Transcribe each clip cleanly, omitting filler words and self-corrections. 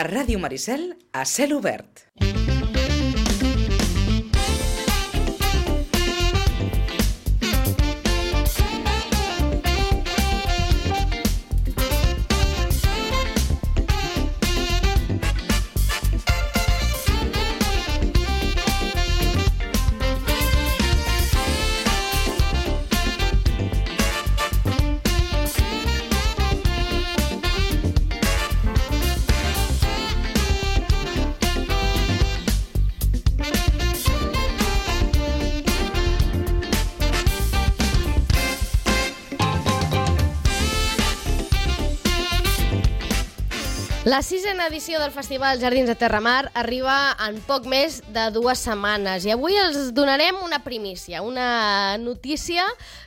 A Ràdio Maricel, a cel obert. La 6a edició del Festival Jardins de Terramar arriba en poc més de 2 setmanes i avui els donarem una primícia, una notícia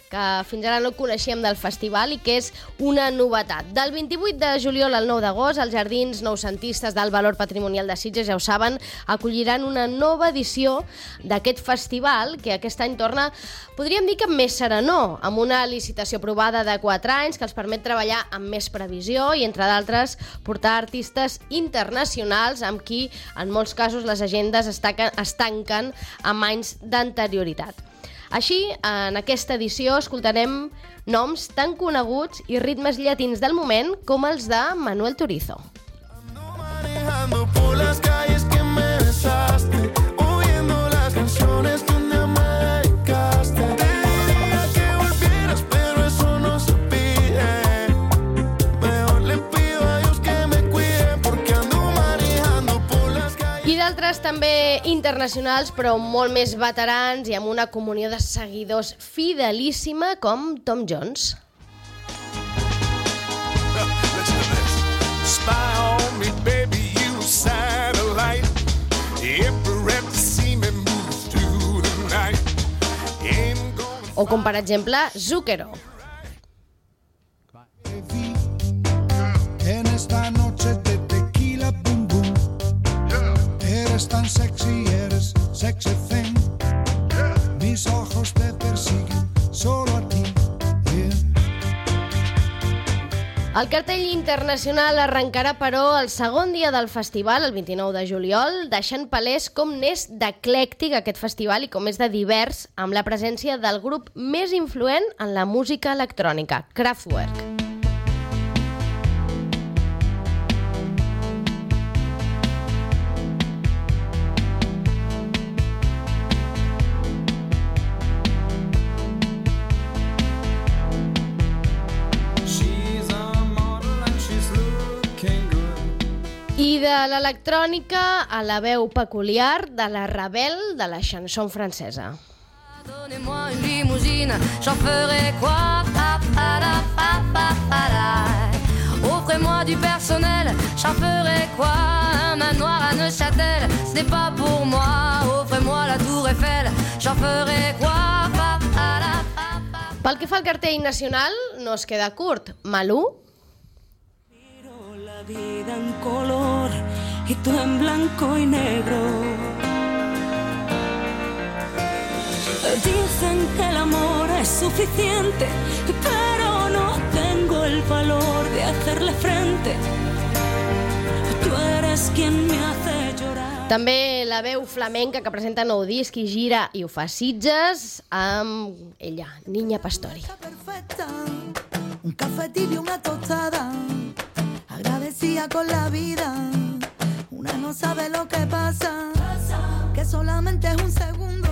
que fins ara no coneixíem del festival i que és una novetat. Del 28 de juliol al 9 d'agost, els Jardins Noucentistes del Valor Patrimonial de Sitges, ja ho saben, acolliran una nova edició d'aquest festival que aquest any torna, podríem dir que més serenor, amb una licitació aprovada de 4 anys que els permet treballar amb més previsió i, entre d'altres, portar artistes internacionals amb qui, en molts casos, les agendes es tanquen amb anys d'anterioritat. Així, en aquesta edició escoltarem noms tan coneguts i ritmes llatins del moment com els de Manuel Turizo. D'altres també internacionals, però molt més veterans i amb una comunió de seguidors fidelíssima com Tom Jones. O com, per exemple, Zucchero. En esta noche de tequila, boom, boom. Eres tan sexy, eres sexy thing. Mis ojos te persiguen solo a ti. El cartell internacional arrencarà, però, el segon dia del festival, el 29 de juliol, deixant palès com n'és d'eclèctic aquest festival i com és de divers, amb la presència del grup més influent en la música electrònica, Kraftwerk. I de l'electrònica a la veu peculiar de la Ravel de la chanson francesa. Donnez-moi une limousine, j'en ferai quoi? Offrez-moi du personnel, j'en ferai quoi? Un manoir à Neuchâtel, ce n'est pas pour moi. Offrez-moi la Tour Eiffel, j'en ferai quoi? Pel que fa al cartell nacional, no es queda curt. Malú, vida en color y tú en blanco y negro. Dicen que el amor es suficiente, pero no tengo el valor de hacerle frente. Tú eres quien me hace llorar. També la veu flamenca que presenta nou disc i gira i ho fa a Sitges amb ella, Niña Pastori. Un café tibio, una tostada, agradecida con la vida. Una no sabe lo que pasa, que solamente es un segundo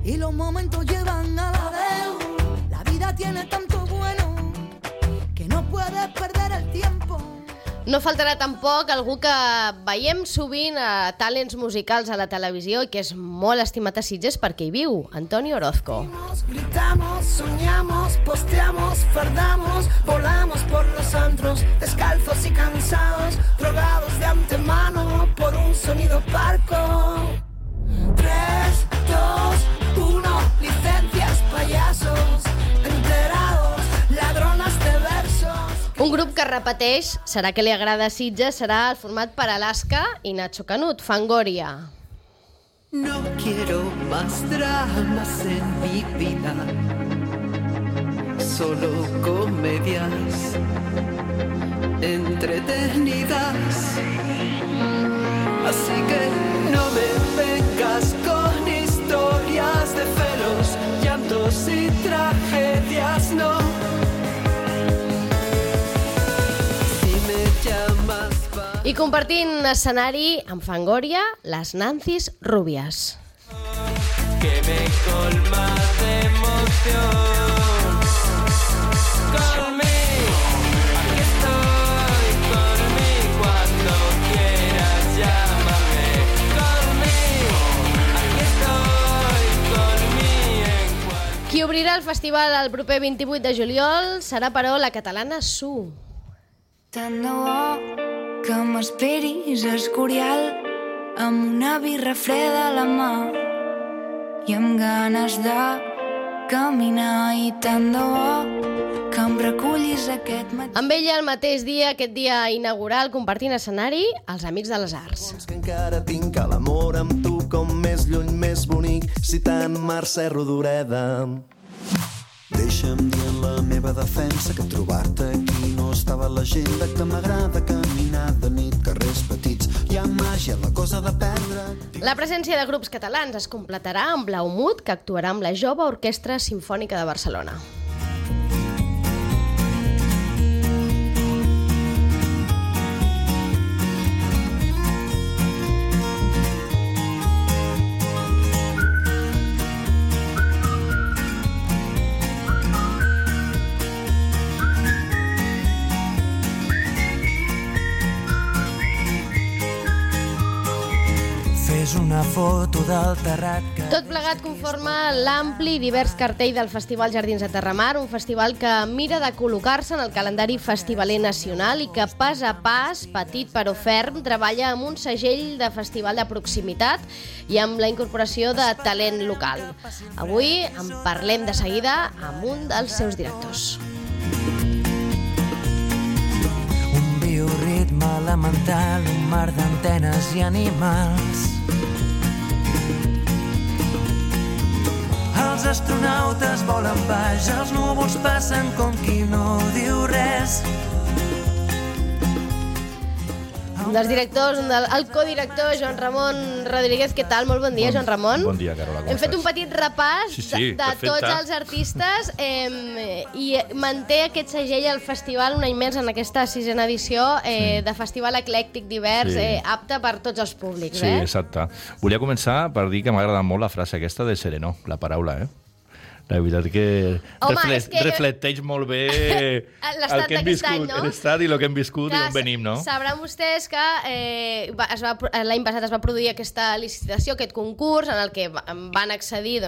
y los momentos llevan a la vez. La vida tiene tanto bueno que no puedes perder el tiempo. No faltarà tampoc algú que veiem sovint a talents musicals a la televisió i que és molt estimat a Sitges perquè hi viu, Antonio Orozco. Gritamos, soñamos, posteamos, fardamos, volamos por los antros, descalzos y cansados, drogados de antemano por un sonido parco. 3, 2, 1, licencias, payasos, enterados, ladronas de versos. Un grup que repeteix, serà que li agrada a Sitges, serà el format per Alaska i Nacho Canut, Fangoria. No quiero más dramas en mi vida, solo comedias entretenidas. I compartint escenari amb Fangoria, les Nancis Rubias. Que me colma de emoción. Conmigo, aquí estoy, conmigo cuando quieras llámame. Conmigo, aquí estoy, conmigo en cualquier... Qui obrirà el festival el proper 28 de juliol serà, però, la catalana Su. Tant de bo que m'esperis a Escorial amb una birra freda a la mà i amb ganes de caminar, i tant de bo que em recullis aquest matí. Amb ella el mateix dia, aquest dia inaugural, compartint escenari, els Amics de les Arts. Que encara tinc l'amor amb tu com més lluny, més bonic, citant Mercè Rodoreda. Deixa'm dir en la meva defensa que trobar-te aquí no estava a l'agenda, que m'agrada caminar de nit, carrers petits, hi ha màgia, la cosa de perdre. La presència de grups catalans es completarà amb Blaumut, que actuarà amb la Jove Orquestra Simfònica de Barcelona. Una foto del terrat que... Tot plegat conforma l'ampli i divers cartell del Festival Jardins de Terramar, un festival que mira de col·locar-se en el calendari festivaler nacional i que pas a pas, petit però ferm, treballa amb un segell de festival de proximitat i amb la incorporació de talent local. Avui en parlem de seguida amb un dels seus directors. Un bioritme elemental, un mar d'antenes i animals. Els astronautes volen baix, els núvols passen com qui no diu res. Un dels directors, el codirector, Joan Ramon Rodríguez. Què tal? Molt bon dia, Joan Ramon. Bon dia, Carola. Hem fet un petit repàs de tots els artistes i manté aquest segell al festival un any més en aquesta 6a edició de festival eclèctic divers, apte per tots els públics. Sí, exacte. Volia començar per dir que m'ha agradat molt la frase aquesta de Sereno, la paraula, La veritat que reflecteix molt bé el que hem viscut, l'estat i el que hem viscut i on venim, no? Sabran vostès que l'any passat es va produir aquesta licitació, aquest concurs, en el que van accedir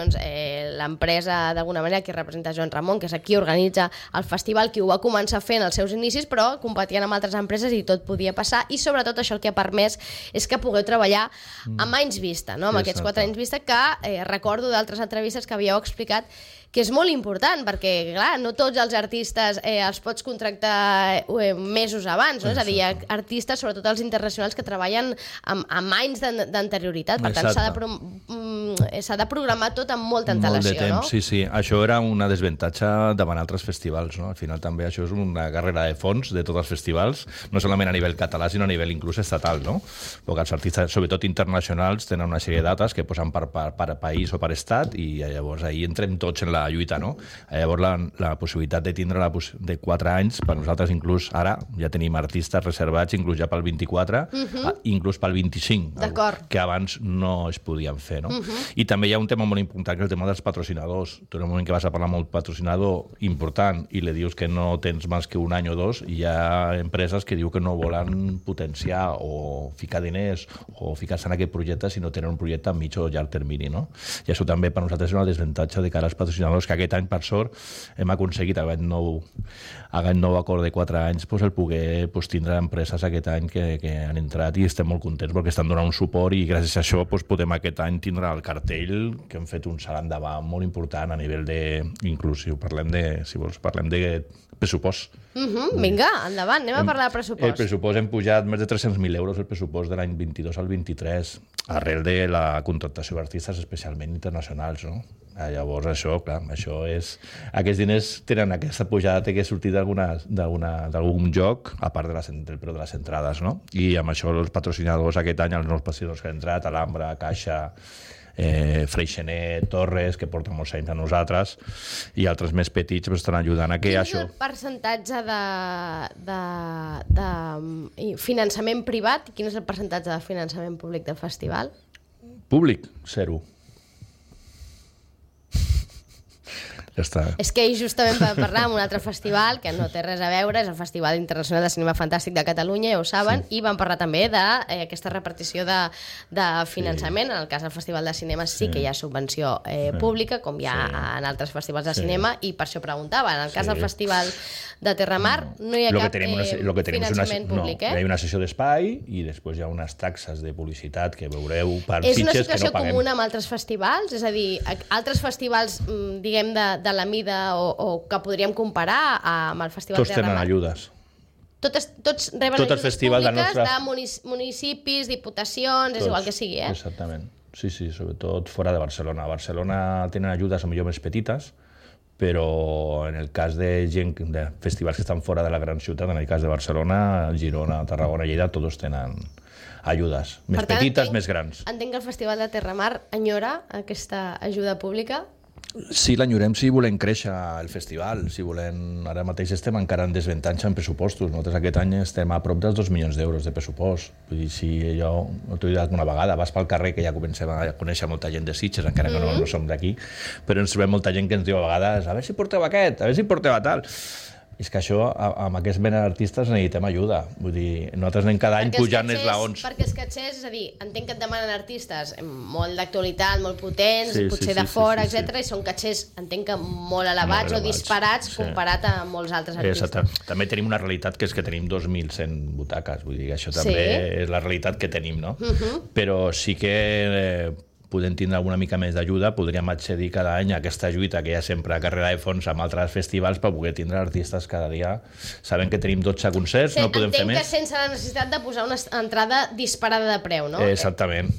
l'empresa, d'alguna manera, que representa Joan Ramon, que és qui organitza el festival, qui ho va començar fent als seus inicis, però competien amb altres empreses i tot podia passar, i sobretot això el que ha permès és que pugueu treballar amb anys vista, no? Amb aquests 4 anys vista, que recordo d'altres entrevistes que havíeu explicat que és molt important, perquè, clar, no tots els artistes els pots contractar mesos abans, no? És a dir, hi ha artistes, sobretot els internacionals, que treballen amb anys d'anterioritat, per tant s'ha de programar tot amb molta antelació, molt de temps, no? Sí. Això era una desavantatge davant altres festivals, no? Al final també això és una carrera de fons de tots els festivals, no solament a nivell català, sinó a nivell inclús estatal, no? Perquè els artistes, sobretot internacionals, tenen una sèrie de dates que posen per país o per estat, i llavors ahir entrem tots en la lluita, no? Llavors la possibilitat de tindre de 4 anys, per nosaltres inclús ara ja tenim artistes reservats inclús ja pel 24, inclús pel 25, que abans no es podien fer, no? I també hi ha un tema molt important, que és el tema dels patrocinadors. Tu en el moment que vas a parlar amb un patrocinador important i li dius que no tens més que un any o dos, hi ha empreses que diu que no volen potenciar o ficar diners o ficar-se en aquest projecte si no tenen un projecte a mig o llarg termini, no? I això també per nosaltres és una desavantatge de cara als patrocinadors, que aquest any, per sort, hem aconseguit aquest nou acord de 4 anys, el poder tindre empreses aquest any que han entrat, i estem molt contents perquè estan donant un suport, i gràcies a això podem aquest any tindre el cartell, que hem fet un salt endavant molt important a nivell d'inclusiu. Parlem de pressupost. Vinga, endavant, anem a parlar de pressupost. El pressupost hem pujat més de 300.000 euros, el pressupost de l'any 22 al 23, arrel de la contractació d'artistes especialment internacionals, no? Llavors això, clar, aquests diners tenen aquesta pujada, té que sortir d'algun joc, a part del preu de les entrades, no? I amb això els patrocinadors aquest any, els nous patrocinadors que han entrat, Alhambra, Caixa, Freixenet, Torres, que porten molts anys a nosaltres, i altres més petits estan ajudant a que Quin això... és el percentatge de finançament privat i quin és el percentatge de finançament públic del festival? Públic, 0. Ja està. És que ahir justament vam parlar amb un altre festival que no té res a veure, és el Festival Internacional de Cinema Fantàstic de Catalunya, ja ho saben, i vam parlar també d'aquesta repartició de finançament. En el cas del Festival de Cinema sí que hi ha subvenció pública, com hi ha en altres festivals de cinema, i per això preguntava. En el cas del Festival de Terramar no hi ha cap finançament públic. Hi ha una sessió d'espai i després hi ha unes taxes de publicitat que veureu per És una fitxes que situació no paguem. comuna amb altres festivals? És a dir, altres festivals, diguem, de la mida o que podríem comparar amb el Festival Tots de tenen Terramar? ajudes. Tots reben Tots els ajudes festivals públiques de de municipis, diputacions, és igual que sigui, Exactament. Sí, sobretot fora de Barcelona. A Barcelona tenen ajudes a millor més petites, però en el cas de festivals que estan fora de la gran ciutat, en el cas de Barcelona, Girona, Tarragona, Lleida, tots tenen ajudes. Més petites, més grans. Entenc que el Festival de Terramar enyora aquesta ajuda pública. Sí, l'enyorem si volem créixer el festival, si volem... Ara mateix estem encara en desavantatge en pressupostos. Nosaltres aquest any estem a prop dels 2 milions d'euros de pressupost. Vull dir, si allò, no t'ho he dit alguna vegada, vas pel carrer que ja comencem a conèixer molta gent de Sitges, encara que no som d'aquí, però ens trobem molta gent que ens diu a vegades a veure si porteu aquest, a veure si porteu a tal. És que això, amb aquest mena d'artistes necessitem ajuda. Vull dir, nosaltres anem cada any pujant esglaons. Perquè els catxers, és a dir, entenc que et demanen artistes molt d'actualitat, molt potents, potser de fora, etc. I són catxers, entenc que molt elevats o disparats comparat amb molts altres artistes. Exacte. També tenim una realitat que és que tenim 2.100 butaques. Vull dir que això també és la realitat que tenim, no? Però sí que podem tindre alguna mica més d'ajuda, podríem accedir cada any a aquesta lluita que hi ha sempre a carrera de fons amb altres festivals per poder tindre artistes cada dia. Sabem que tenim 12 concerts, no podem fer més. Entenc que sense la necessitat de posar una entrada disparada de preu, no? Exactament,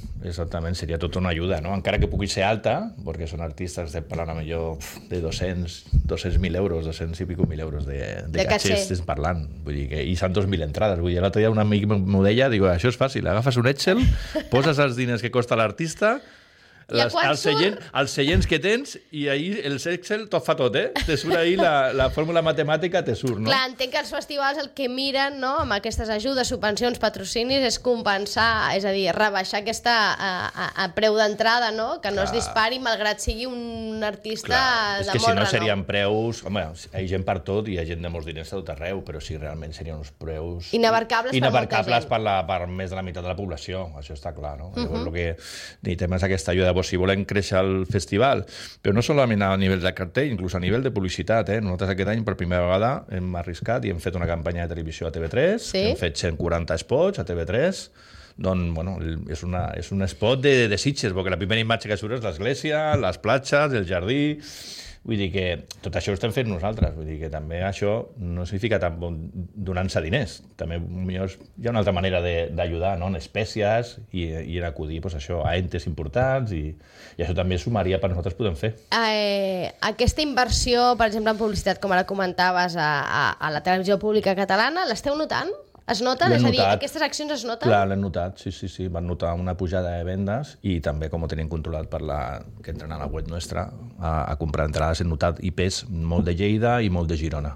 seria tota una ajuda, no? Encara que pugui ser alta, perquè són artistes que parlant a millor de 200.000 euros, 200 i pico mil euros de catxers estem parlant. Vull dir que, i són 2.000 entrades. Vull dir, l'altre dia un amic m'ho deia, diu, això és fàcil, agafes un Excel, poses els diners que costa l'artista, els seients que tens i ahir el Excel tot fa tot, te surt ahir la fórmula matemàtica, te surt, no? Clar, entenc que els festivals el que miren, no, amb aquestes ajudes, subvencions, patrocinis, és compensar, és a dir, rebaixar aquesta a preu d'entrada, no? Que no es dispari malgrat sigui un artista de molt renom. És que si no serien preus... Home, hi ha gent per tot i hi ha gent de molts diners a tot arreu, però sí, realment serien uns preus... Inabarcables per més de la meitat de la població, això està clar, no? Llavors el que necessitem és aquesta ajuda. Si volem créixer el festival, però no solament a nivell de cartell, inclús a nivell de publicitat. Nosaltres aquest any per primera vegada hem arriscat i hem fet una campanya de televisió a TV3, hem fet 140 spots a TV3, doncs, bueno, és un spot de Sitges, perquè la primera imatge que surt és l'església, les platges, el jardí... Vull dir que tot això ho estem fent nosaltres. Vull dir que també això no significa tant donant-se diners. També hi ha una altra manera d'ajudar, no? En espècies i en acudir a entes importants i això també sumaria per nosaltres podem fer. Aquesta inversió, per exemple, en publicitat, com ara comentaves, a la televisió pública catalana, l'esteu notant? Es noten? És a dir, aquestes accions es noten? Clar, l'hem notat, sí. Van notar una pujada de vendes i també, com ho tenim controlat que entren a la web nostra a comprar entrades, hem notat IPs molt de Lleida i molt de Girona.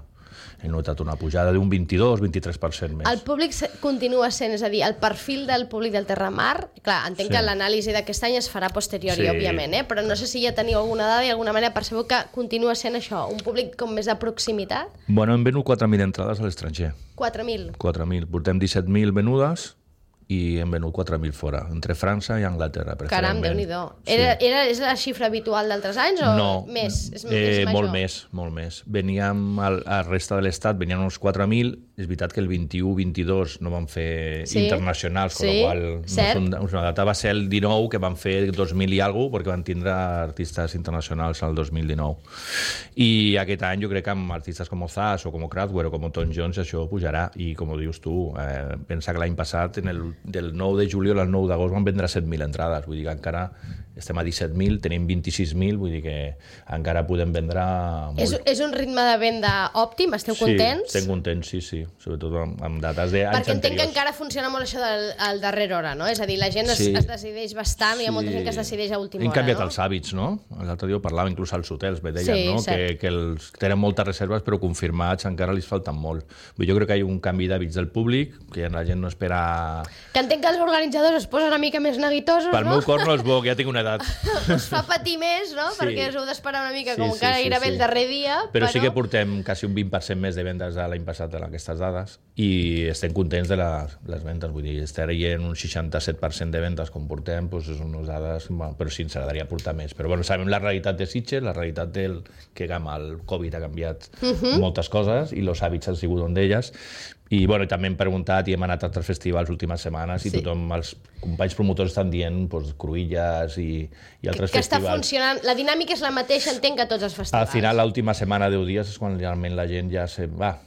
He notat una pujada d'un 22-23% més. El públic continua sent, és a dir, el perfil del públic del Terramar, clar, entenc que l'anàlisi d'aquest any es farà posteriori, òbviament, però no sé si ja teniu alguna dada i alguna manera per saber que continua sent això, un públic com més de proximitat? Bueno, hem venut 4.000 entrades a l'estranger. 4.000? 4.000. Portem 17.000 venudes i hem venut 4.000 fora, entre França i Anglaterra. Caram, Déu-n'hi-do. És la xifra habitual d'altres anys o més? És molt més. Veníem a la resta de l'estat, venien uns 4.000, és veritat que el 21-22 no van fer internacionals, amb la qual una data va ser el 19, que van fer 2.000 i alguna cosa, perquè van tindre artistes internacionals al 2019. I aquest any jo crec que amb artistes com Ozaz o com Kraftwerk o com Tom Jones això pujarà, i com ho dius tu, pensa que l'any passat, en del 9 de juliol al 9 d'agost van vendre 7.000 entrades, vull dir que encara estem a 17.000, tenim 26.000, vull dir que encara podem vendre molt. És un ritme de venda òptim? Esteu contents? Sí, estem contents, sí, sobretot amb dates d'anys anteriors. Perquè entenc que encara funciona molt això del darrere hora, no? És a dir, la gent es decideix bastant, hi ha molta gent que es decideix a última hora, no? Hem canviat els hàbits, no? L'altre dia ho parlàvem inclús als hotels, deien, no? Que tenen moltes reserves però confirmats encara li falten molt. Jo crec que hi ha un canvi d'hàbits del públic, que la gent no espera... Que entenc que els organitzadors es posen una mica més neguitosos, no? Pel meu cor no és bo, que ja tinc una edat. Us fa patir més, no? Perquè us heu d'esperar una mica, com encara gairebé el darrer dia. Però sí que portem quasi un 20% més de vendes de l'any passat en aquestes dades i estem contents de les vendes. Vull dir, estaria en un 67% de vendes com portem, doncs és unes dades... Però sí, ens agradaria portar més. Però bueno, sabem la realitat de Sitges, la realitat que amb el Covid ha canviat moltes coses i els hàbits han sigut un d'elles. I bueno, també hem preguntat i hem anat a altres festivals últimes setmanes i tothom, els companys promotors estan dient Cruïlles i altres festivals. Que està funcionant, la dinàmica és la mateixa, entenc, que tots els festivals. Al final, l'última setmana, 10 dies, és quan realment la gent ja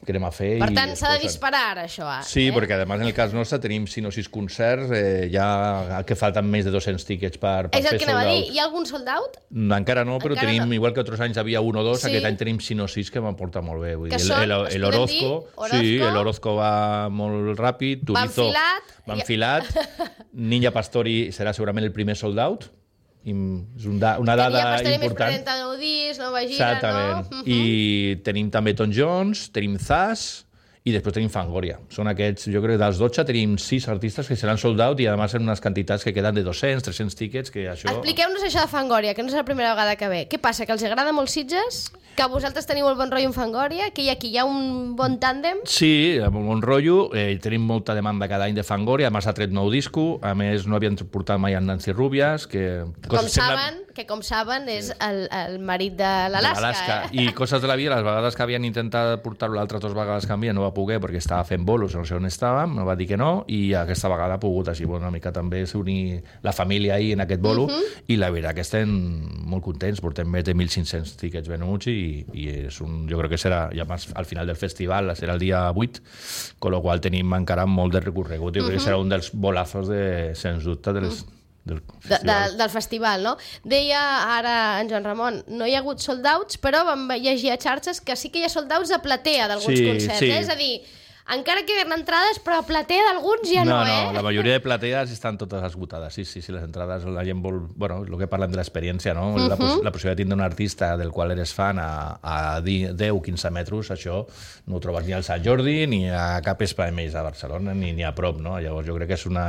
querem a fer. Per tant, s'ha de disparar ara, això. Sí, perquè a més en el cas nostre tenim 5 o 6 concerts, ja que falten més de 200 tíquets per fer sold out. És el que anava a dir, hi ha algun sold out? Encara no, però tenim, igual que altres anys havia 1 o 2, aquest any tenim 5 o 6 que m'aporta molt bé. Que són, es podem dir? Sí, l'Orozco va molt ràpid, Turizo va enfilat, Ninja Pastori serà segurament el primer sold out, és una dada important. Ninja Pastori més 49 dies, nova gira, exactament. I tenim també Tom Jones, tenim Zaz i després tenim Fangoria. Són aquests, jo crec que dels 12 tenim 6 artistes que seran sold out i a més en unes quantitats que queden de 200, 300 tíquets, que això... Expliqueu-nos això de Fangoria, que no és la primera vegada que ve. Què passa, que els agrada molt Sitges? Que vosaltres teniu el bon rotllo en Fangoria? Que hi ha un bon tàndem? Sí, amb un bon rotllo. Tenim molta demanda cada any de Fangoria. A més, ha tret nou disco. A més, no havien portat mai en Nancy Rubias, que... Com saben, és el marit de l'Alaska. I coses de la vida, les vegades que havien intentat portar-lo l'altre 2 vegades canvia, no va poder perquè estava fent bolos, no sé on estàvem, no va dir que no, i aquesta vegada ha pogut així, una mica també s'unir la família ahir en aquest bolo, i la veritat que estem molt contents, portem més de 1.500 tíquets venuts i és jo crec que serà, ja al final del festival, serà el dia 8, con lo qual tenim encara molt de recorregut, jo crec que serà un dels bolazos, sens dubte, del festival, no? Deia ara en Joan Ramon, no hi ha hagut sold outs, però vam llegir a xarxes que sí que hi ha sold outs a platea d'alguns concerts, és a dir, encara queden entrades, però a platea d'alguns ja no, No, la majoria de platees estan totes esgotades. Sí, les entrades, la gent vol... Bueno, el que parlem de l'experiència, no? La possibilitat de tindre un artista del qual eres fan a 10-15 metres, això no ho trobes ni al Sant Jordi, ni a cap espai més a Barcelona, ni a prop, no? Llavors jo crec que és una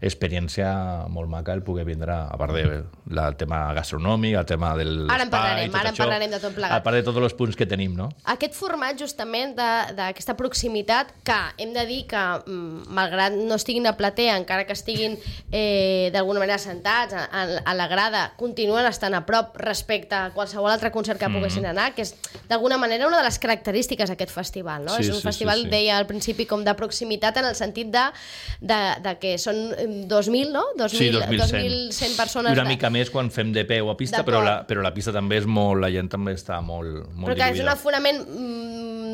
experiència molt maca el poder vindre, a part del tema gastronòmic, el tema del... Ara en parlarem de tot plegat. A part de tots els punts que tenim, no? Aquest format, justament, d'aquesta proximitat, que hem de dir que, malgrat no estiguin a platea, encara que estiguin d'alguna manera sentats a la grada, continuen estant a prop respecte a qualsevol altre concert que poguessin anar, que és d'alguna manera una de les característiques d'aquest festival, no? És un festival, deia al principi, com de proximitat en el sentit de que són 2.000, no? 2.100 persones. I una mica més quan fem de peu a pista, però la pista també és molt... La gent també està molt però que és un aforament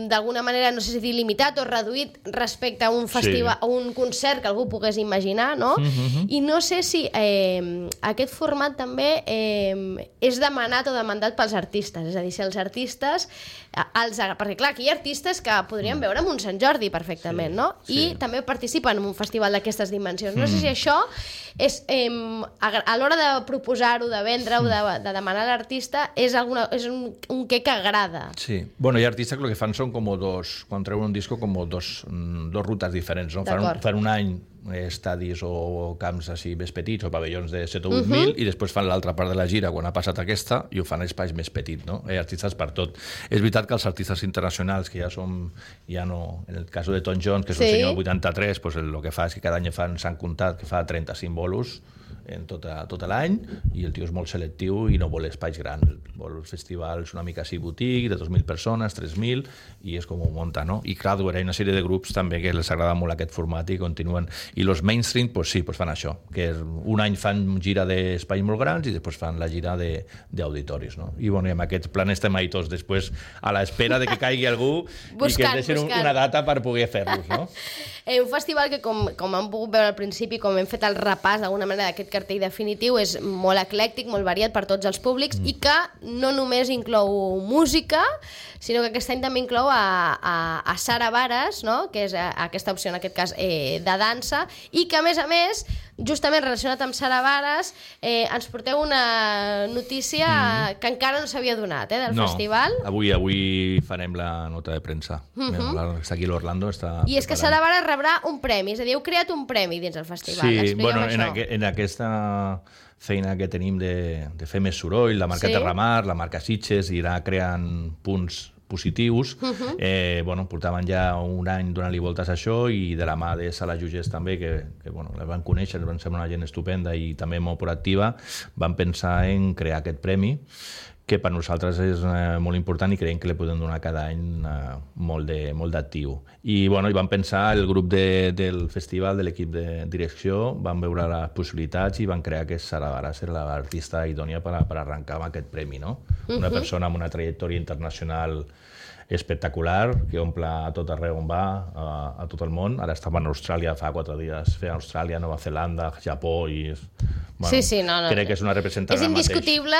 d'alguna manera, no sé si dir limitat o reduït respecte a un festival, a un concert que algú pogués imaginar, no? I no sé si aquest format també és demanat o demandat pels artistes, és a dir, si els artistes perquè clar, aquí hi ha artistes que podrien veure en un Sant Jordi perfectament, no? I també participen en un festival d'aquestes dimensions. No sé si això és a l'hora de proposar-ho, de vendre-ho, de demanar a l'artista, és un què que agrada. Sí. Bueno, hi ha artistes que el que fan són com quan treuen un disco com dos rutes diferents, no? Fan un any estadis o camps així més petits o pavellons de 7 o 8.000 i després fan l'altra part de la gira quan ha passat aquesta i ho fan a espais més petits, no? Hi ha artistes per tot. És veritat que els artistes internacionals que ja no, en el cas de Tom Jones, que és un senyor del 83, pues el que fa és que cada any s'han comptat que fa 35 bolos en tot l'any, i el tio és molt selectiu i no vol espais grans, vol festivals una mica així boutique, de 2.000 persones, 3.000, i és com ho munta, no? I clar, hi ha una sèrie de grups també que els agrada molt aquest format i continuen. I els mainstream, pues sí, pues fan això, que un any fan gira d'espais molt grans i després fan la gira d'auditoris, no? I bueno, amb aquests plans estem ahí tots després a l'espera de que caigui algú i que ens deixin una data per poder fer-los, no? Un festival que, com hem pogut veure al principi, com hem fet el repàs d'alguna manera d'aquest cartell definitiu, és molt eclèctic, molt variat per tots els públics i que no només inclou música, sinó que aquest any també inclou a Sara Varas, no? Que és aquesta opció, en aquest cas, de dansa, i que, a més, justament relacionat amb Sara Varas, ens porteu una notícia que encara no s'havia donat, del festival. Avui farem la nota de premsa. Està aquí l'Orlando. I és que Sara Varas rebrà un premi, és a dir, heu creat un premi dins el festival. Sí, bueno, en aquesta feina que tenim de fer més soroll, la marca Terramar, la marca Sitges, irà creant punts positius. Bueno, portaven ja un any donant-li voltes a això, i de la mà de Sala Jugés també, que bueno, la van conèixer, van ser una gent estupenda i també molt proactiva, van pensar en crear aquest premi, que per nosaltres és molt important i creiem que li podem donar cada any molt d'actiu. I bueno, van pensar, el grup del festival, de l'equip de direcció, van veure les possibilitats i van crear que Sara Varas era l'artista idònia per arrencar amb aquest premi, no? Una persona amb una trajectòria internacional espectacular, que omple a tot arreu on va, a tot el món. Ara estava en Austràlia fa 4 dies, feia Austràlia, Nova Zelanda, Japó, i crec que és una representant. És indiscutible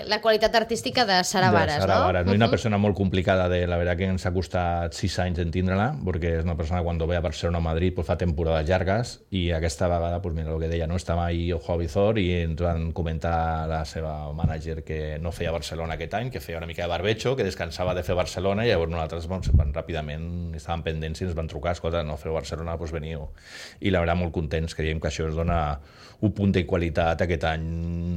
la qualitat artística de Sara Varas, no? És una persona molt complicada, la veritat que ens ha costat 6 anys entendre-la, perquè és una persona que quan ve a Barcelona o Madrid fa temporades llargues, i aquesta vegada, mira el que deia, estava ahí Ojo Avizor i ens van comentar la seva mànager que no feia Barcelona aquest any, que feia una mica de barbecho, que descansava de fer Barcelona, i llavors nosaltres ràpidament estàvem pendents i ens van trucar, escolta, no feu Barcelona, doncs veniu. I la veritat, molt contents, creiem que això es dona un punt de qualitat aquest any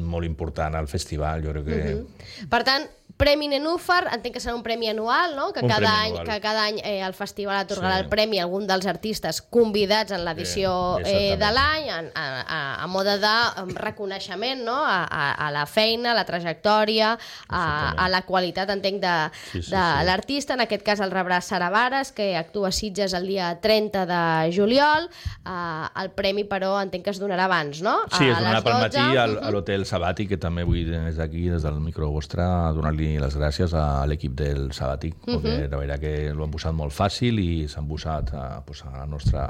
molt important al festival, jo crec que... Per tant, Premi Nenúfar, entenc que serà un premi anual, no? Que cada any el festival atorgarà el premi a algun dels artistes convidats en l'edició de l'any, a mode de reconeixement, no? A la feina, a la trajectòria, a la qualitat, entenc, de l'artista. En aquest cas el rebrà Sara Varas, que actua a Sitges el dia 30 de juliol. El premi, però, entenc que es donarà abans, no? Sí, es donarà pel matí a l'Hotel Sabàtic, que també vull des d'aquí, des del micro vostre, donar-li les gràcies a l'equip del Sabàtic, perquè la veritat que l'ho han posat molt fàcil i s'han posat a la nostra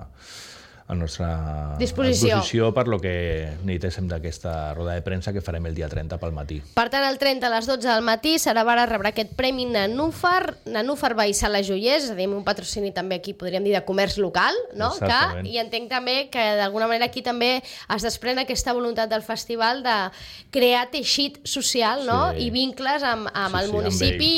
disposició per lo que necessitéssim d'aquesta roda de premsa que farem el dia 30 pel matí. Per tant, el 30 a les 12 del matí, Sara Varas rebrà aquest Premi Nenúfar. Nenúfar va i Sala Joiers, és a dir, un patrocini també aquí, podríem dir, de comerç local, no? I entenc també que d'alguna manera aquí també es desprèn aquesta voluntat del festival de crear teixit social, no? I vincles amb el municipi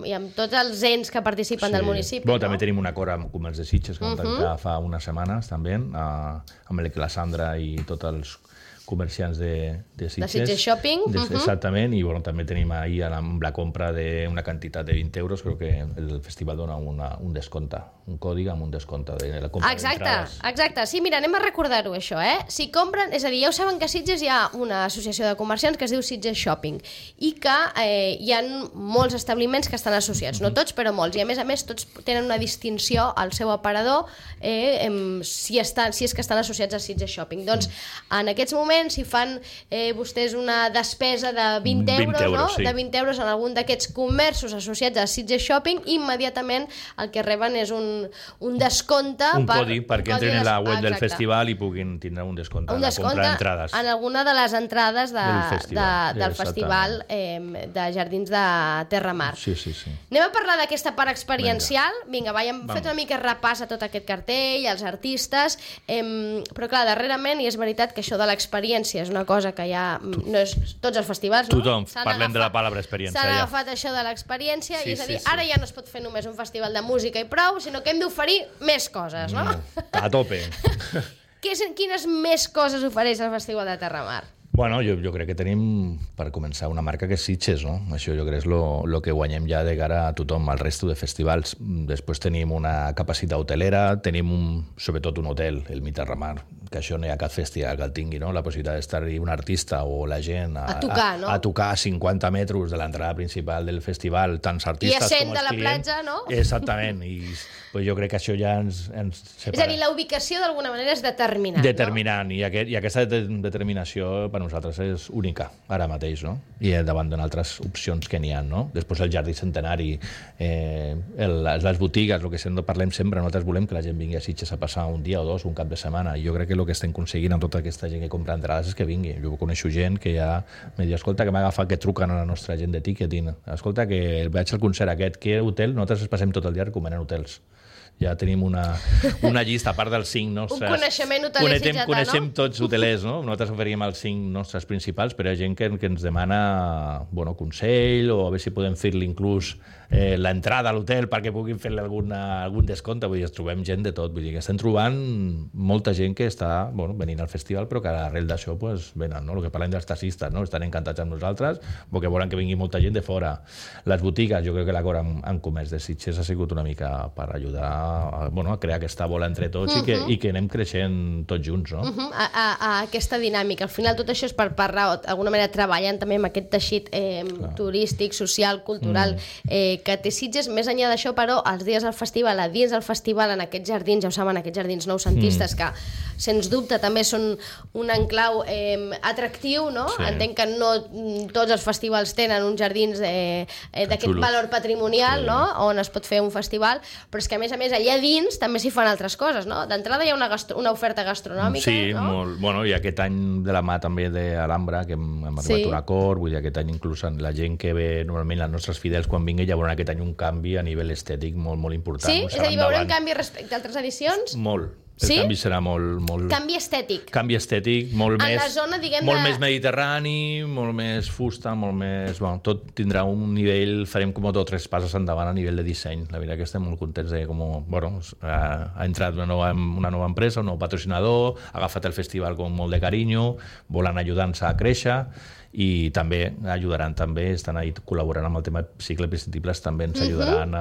i amb tots els ens que participen del municipi. També tenim un acord amb Comerç de Sitges, que vam tancar fa unes setmanes també, amb la Sandra i tots els comerciants de Sitges. De Sitges Shopping. Exactament, i també tenim ahir amb la compra d'una quantitat de 20 euros, crec que el festival dona un descompte, un còdig amb un descompte de la compra d'entrades. Exacte. Sí, mira, anem a recordar-ho, això, Si compren, és a dir, ja ho saben que a Sitges hi ha una associació de comerciants que es diu Sitges Shopping i que hi ha molts establiments que estan associats, no tots, però molts, i a més tots tenen una distinció al seu aparador si és que estan associats a Sitges Shopping. Doncs, en aquests moments, si fan vostès una despesa de 20 euros, de 20 euros en algun d'aquests comerços associats a Sitges Shopping, immediatament el que reben és un descompte. Un codi perquè entren en la web del festival i puguin tindre un descompte en la compra d'entrades. En alguna de les entrades del festival de Jardins de Terramar. Sí. Anem a parlar d'aquesta part experiencial. Vinga, hem fet una mica repàs a tot aquest cartell, als artistes, però clar, darrerament, i és veritat que això de l'experiència és una cosa que ja no és tots els festivals, no? Tothom, parlem de la paraula experiència. S'han agafat això de l'experiència, i és a dir, ara ja no es pot fer només un festival de música i prou, sinó que hem d'oferir més coses, no? A tope. Quines més coses ofereix el Festival de Terramar? Bueno, jo crec que tenim, per començar, una marca que és Sitges, no? Això jo crec és el que guanyem ja de cara a tothom, al resto de festivals. Després tenim una capacitat hotelera, tenim sobretot un hotel, el Miterramar, que això no hi ha cap festival que el tingui, no? La possibilitat d'estar-hi un artista o la gent a tocar, no? A tocar a 50 metres de l'entrada principal del festival, tants artistes com els clients. I a 100 de la platja, no? Exactament, i pues jo crec que això ja ens separa. És a dir, la ubicació d'alguna manera és determinant, determinant, no? I aquesta determinació per nosaltres és única, ara mateix, no? I davant d'altres opcions que n'hi ha, no? Després el Jardí Centenari, les botigues, el que parlem sempre, nosaltres volem que la gent vingui a Sitges a passar un dia o dos, un cap de setmana, i jo crec que el que estem aconseguint amb tota aquesta gent que compra entrades és que vingui. Jo coneixo gent que ja me diu, escolta, que m'ha agafat, que truquen a la nostra gent de ticketing, escolta, que vaig al concert aquest, que hotel? Nosaltres passem tot el dia recomanant hotels. Ja tenim una llista, a part dels 5 nostres... Un coneixement hoteler sitgetà, no? Coneixem tots hotelers, no? Nosaltres oferim els 5 nostres principals, però hi ha gent que ens demana consell, o a veure si podem fer-li inclús l'entrada a l'hotel perquè puguin fer-li algun descompte. Vull dir, trobem gent de tot. Vull dir, que estem trobant molta gent que està venint al festival, però que arrel d'això venen, no? El que parlem dels taxistes, no? Estan encantats amb nosaltres, perquè volen que vingui molta gent de fora. Les botigues, jo crec que l'acord amb comerç de Sitges ha sigut una mica per ajudar a crear aquesta bola entre tots i que anem creixent tots junts, no? A aquesta dinàmica. Al final tot això és per parlar, d'alguna manera treballant també amb aquest teixit turístic, social, cultural que té Sitges. Més enllà d'això, però, els dies del festival, a dins del festival, en aquests jardins, ja ho saben, aquests jardins noucentistes que, sens dubte, també són un enclau atractiu, no? Sí. Entenc que no tots els festivals tenen uns jardins d'aquest valor patrimonial, no? On es pot fer un festival, però és que, a més, allà dins també s'hi fan altres coses, no? D'entrada hi ha una oferta gastronòmica, sí, no? Molt. Bueno, i aquest any de la mà també d'Alhambra, que hem arribat a un acord, vull dir, aquest any inclús la gent que ve normalment, els nostres fidels, quan vingui, ja veuran aquest any un canvi a nivell estètic molt, molt important. Sí? És a dir, veurem canvi respecte a altres edicions? Molt. El canvi serà molt... Canvi estètic. Canvi estètic, molt més... En la zona, diguem... Molt més mediterrani, molt més fusta, molt més... Bueno, tot tindrà un nivell... Farem com 2 o 3 passes endavant a nivell de disseny. La veritat que estem molt contents de com... ha entrat una nova empresa, un nou patrocinador, ha agafat el festival amb molt de carinyo, volen ajudar-nos a créixer i també ajudaran, estan ahí col·laborant amb el tema cicle prescindibles, també ens ajudaran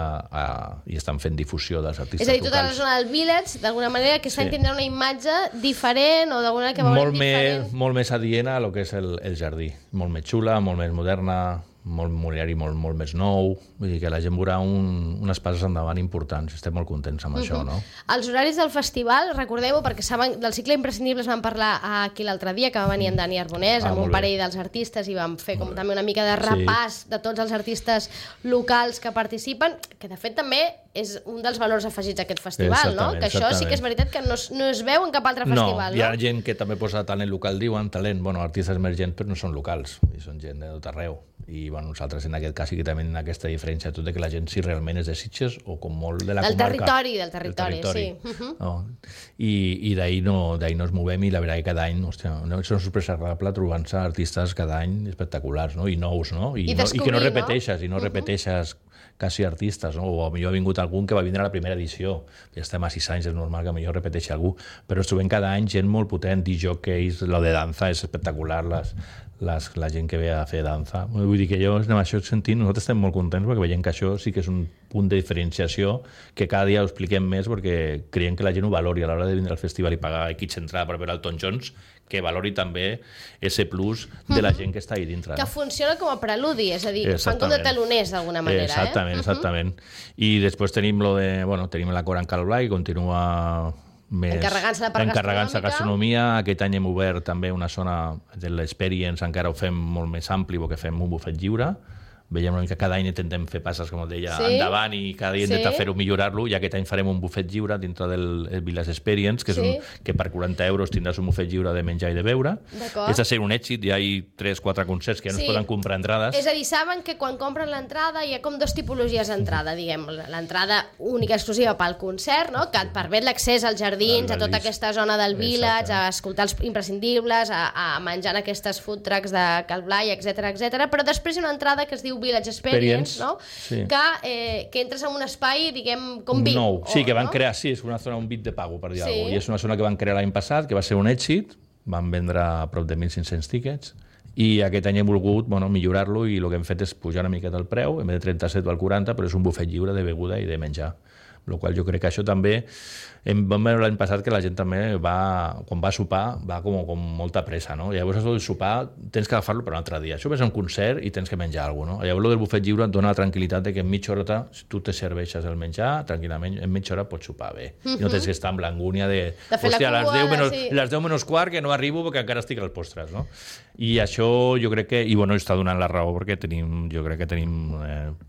i estan fent difusió dels artistes locals. És a dir, tota la zona del Village, d'alguna manera, aquest any tindrà una imatge diferent o d'alguna manera que veurem diferent. Molt més adient a lo que és el jardí. Molt més xula, molt més moderna, molt mobiliari, molt més nou. Vull dir que la gent veurà unes passes endavant importants. Estem molt contents amb això, no? Els horaris del festival, recordeu-ho, perquè saben, del cicle imprescindibles vam parlar aquí l'altre dia, que va venir en Dani Arbonès, amb un parell dels artistes, i vam fer com també una mica de repàs de tots els artistes locals que participen, que de fet també és un dels valors afegits d'aquest festival, no? Que això sí que és veritat que no es veu en cap altre festival, no? Hi ha gent que també posa talent local, diuen talent, artistes emergents, però no són locals, són gent de tot arreu. I nosaltres en aquest cas sí que també tenim aquesta diferència, tot de que la gent si realment és de Sitges o com molt de la comarca. Del territori, sí. I d'ahir no ens movem, i la veritat que cada any és una sorpresa agradable trobant-se artistes cada any espectaculars, no? I nous, no? I que no repeteixes quasi artistes, no? O potser ha vingut algun que va vindre a la primera edició, ja estem a 6 anys, és normal que potser repeteixi algú, però ens trobem cada any gent molt potent, DJs, lo de danza és espectacular, la gent que ve a fer danza. Vull dir que jo, en això sentim, nosaltres estem molt contents perquè veiem que això sí que és un punt de diferenciació que cada dia ho expliquem més perquè creiem que la gent ho valori a l'hora de vindre al festival i pagar X entrada per veure Elton John, que valori també ese plus de la gent que està ahí dintre. Que funciona com a preludi, és a dir, fan com de taloners d'alguna manera. Exactament. I després tenim la Cora en Calblai, que continua encarregant-se de gastronomia. Aquest any hem obert també una zona de l'experience, encara ho fem molt més ampli perquè fem un bufet lliure. Veiem una mica, cada any intentem fer passes, com deia, endavant, i cada dia intentem fer-ho, millorar-lo, i aquest any farem un bufet lliure dintre del Village Experience, que per 40 euros tindràs un bufet lliure de menjar i de beure. És a ser un èxit, hi ha 3-4 concerts que ja no es poden comprar entrades. És a dir, saben que quan compren l'entrada hi ha com 2 tipologies d'entrada, diguem, l'entrada única exclusiva pel concert, no? Que et permet l'accés als jardins, a tota aquesta zona del Village, a escoltar els imprescindibles, a menjar en aquestes food trucks de Calblai, etc. Però després hi ha una entrada que es diu Village Experience, no? Sí. Que entres en un espai, diguem, com VIP. Nou, sí, que van crear, és una zona, un VIP de pago, per dir alguna cosa. I és una zona que van crear l'any passat, que va ser un èxit, van vendre a prop de 1.500 tíquets, i aquest any he volgut millorar-lo i el que hem fet és pujar una miqueta el preu, en vez de 37 val 40, però és un bufet lliure de beguda i de menjar. El qual jo crec que això també... Vam veure l'any passat que la gent també quan va a sopar, va com molta pressa, no? Llavors, el sopar tens que agafar-lo per un altre dia. Això ves a un concert i tens que menjar alguna cosa, no? Llavors, el del bufet lliure et dona la tranquil·litat de que en mitja hora tu te serveixes el menjar, tranquil·lament, en mitja hora pots sopar bé. I no tens que estar amb l'angúnia de hòstia, a les 10 menys quart que no arribo perquè encara estic als postres, no? I això jo crec que... I està donant la raó perquè jo crec que tenim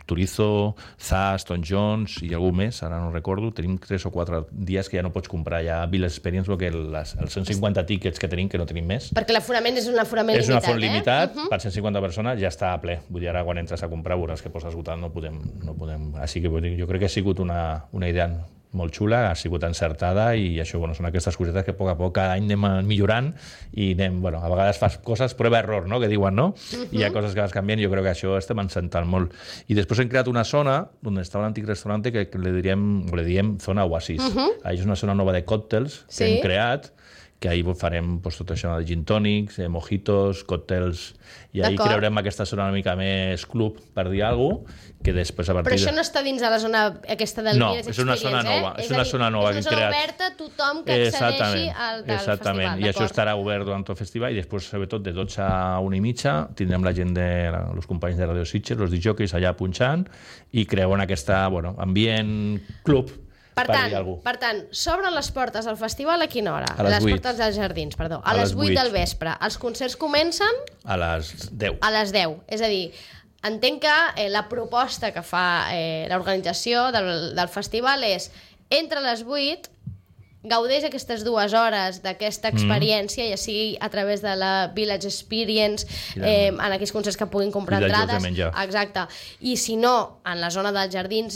Turizo, Zas, Tom Jones i algú més, ara no recordo, tenim 3 o 4 dies que ja no pots comprar ja Village Experience perquè els 150 tíquets que tenim, que no tenim més. Perquè l'aforament és un aforament limitat, És un aforament limitat, per 150 persones ja està a ple. Vull dir, ara quan entres a comprar veuràs que pots esgotar, no podem... Així que jo crec que ha sigut una idea molt xula, ha sigut encertada i això són aquestes cosetes que a poc cada any anem millorant i anem, a vegades fas coses prova-error, no?, que diuen, no? I hi ha coses que vas canviant i jo crec que això estem encertant molt. I després hem creat una zona on està l'antic restaurant que li diem zona Oasis. És una zona nova de còctels que hem creat, que ahir farem tot això de gin tònics, mojitos, còctels, i ahir creurem aquesta zona una mica més club, per dir alguna cosa, que després a partir... Però això no està dins de la zona aquesta del Village Experience, és una zona nova, és una zona nova que hem creat. És una zona oberta a tothom que accedeixi al festival. I això estarà obert durant tot el festival i després, sobretot, de 12 a 1:30 tindrem la gent els companys de Radio Sitges, els disjockeys allà punxant i creuen aquesta, ambient club. Per tant, s'obren les portes del festival a quina hora? A les 8. Les portes dels jardins, perdó. A les 8 del vespre. Els concerts comencen? A les 10. A les 10. És a dir, entenc que la proposta que fa l'organització del festival és entre les 8 gaudeix aquestes 2 hores d'aquesta experiència, ja sigui a través de la Village Experience, en aquells concerts que puguin comprar entrades. Exacte. I si no, en la zona dels jardins,